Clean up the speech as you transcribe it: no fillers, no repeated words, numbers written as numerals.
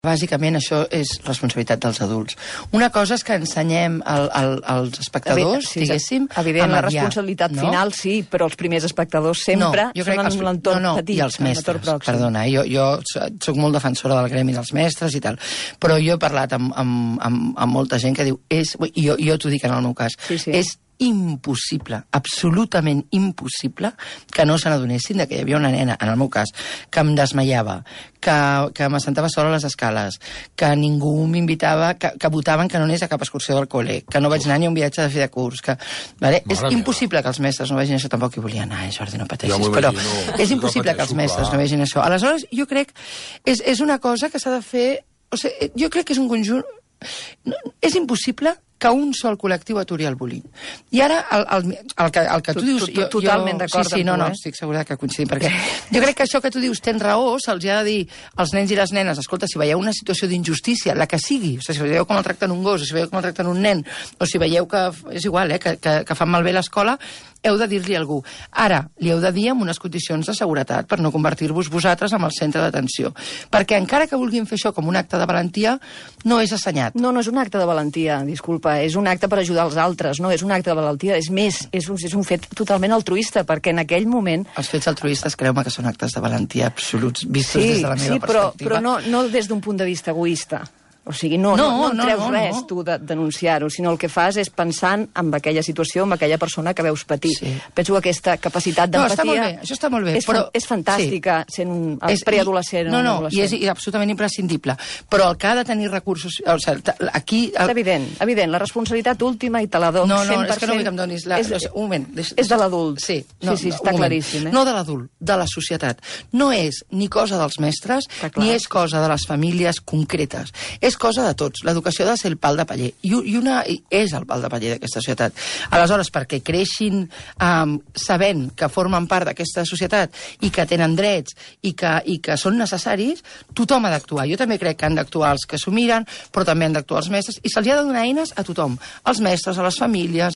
Bàsicament això és responsabilitat dels adults. Una cosa és que ensenyem als espectadors, diguéssim, evident, la responsabilitat final sí, però els primers espectadors sempre són en l'entorn petit. I els mestres, perdona, jo soc molt defensora del gremi dels mestres i tal, però jo he parlat amb molta gent que diu, jo t'ho dic en el meu cas, és impossible, absolutament impossible que no se n'adonessin que hi havia una nena, en el meu cas, que em desmaiava, que m'assentava sola a les escales, que ningú m'invitava, que votaven que no anés a cap excursió del col·le, que no vaig anar ni a un viatge de fi de curs, és impossible que els mestres no vegin això, tampoc hi volia anar, Jordi, no pateixis, però és impossible que els mestres no vegin això. Aleshores, jo crec és una cosa que s'ha de fer, jo crec que és un conjunt, és impossible que un sol col·lectiu aturi el bullying. I ara, el que tu dius... Totalment d'acord amb tu, no, estic segura que coincidim, perquè jo crec que això que tu dius tens raó, se'ls ha de dir als nens i les nenes, escolta, si veieu una situació d'injustícia, la que sigui, o sigui, si veieu com el tracten un gos, o si veieu com el tracten un nen, o si veieu que, és igual, que fan malbé l'escola, heu de dir-li a algú. Ara, li heu de dir amb unes condicions de seguretat per no convertir-vos vosaltres en el centre d'atenció. Perquè encara que vulguin fer això com un acte de valentia, no és assenyat. No és un acte de valentia, disculpa, és un acte per ajudar els altres, no és un acte de valentia, és més, és un fet totalment altruista, perquè en aquell moment... Els fets altruistes, creu-me que són actes de valentia absoluts, vistos des de la meva perspectiva. Sí, però no des d'un punt de vista egoista. O sigui, no treus res tu de denunciar-ho, sinó el que fas és pensant en aquella situació, en aquella persona que veus patir. Penso que aquesta capacitat d'empatia... Això està molt bé, però... És fantàstica, sent un preadolescent. No, i és absolutament imprescindible. Però el que ha de tenir recursos... Aquí... És evident, la responsabilitat última i te la dono 100%... No, és que no vull que em donis... Un moment. És de l'adult. Sí, està claríssim. No de l'adult, de la societat. No és ni cosa dels mestres, ni és cosa de les famílies concretes. És cosa de tots. L'educació ha de ser el pal de paller. I és el pal de paller d'aquesta societat. Aleshores, perquè creixin sabent que formen part d'aquesta societat i que tenen drets i que són necessaris, tothom ha d'actuar. Jo també crec que han d'actuar els que s'ho miren, però també han d'actuar els mestres, i se'ls ha de donar eines a tothom. Als mestres, a les famílies,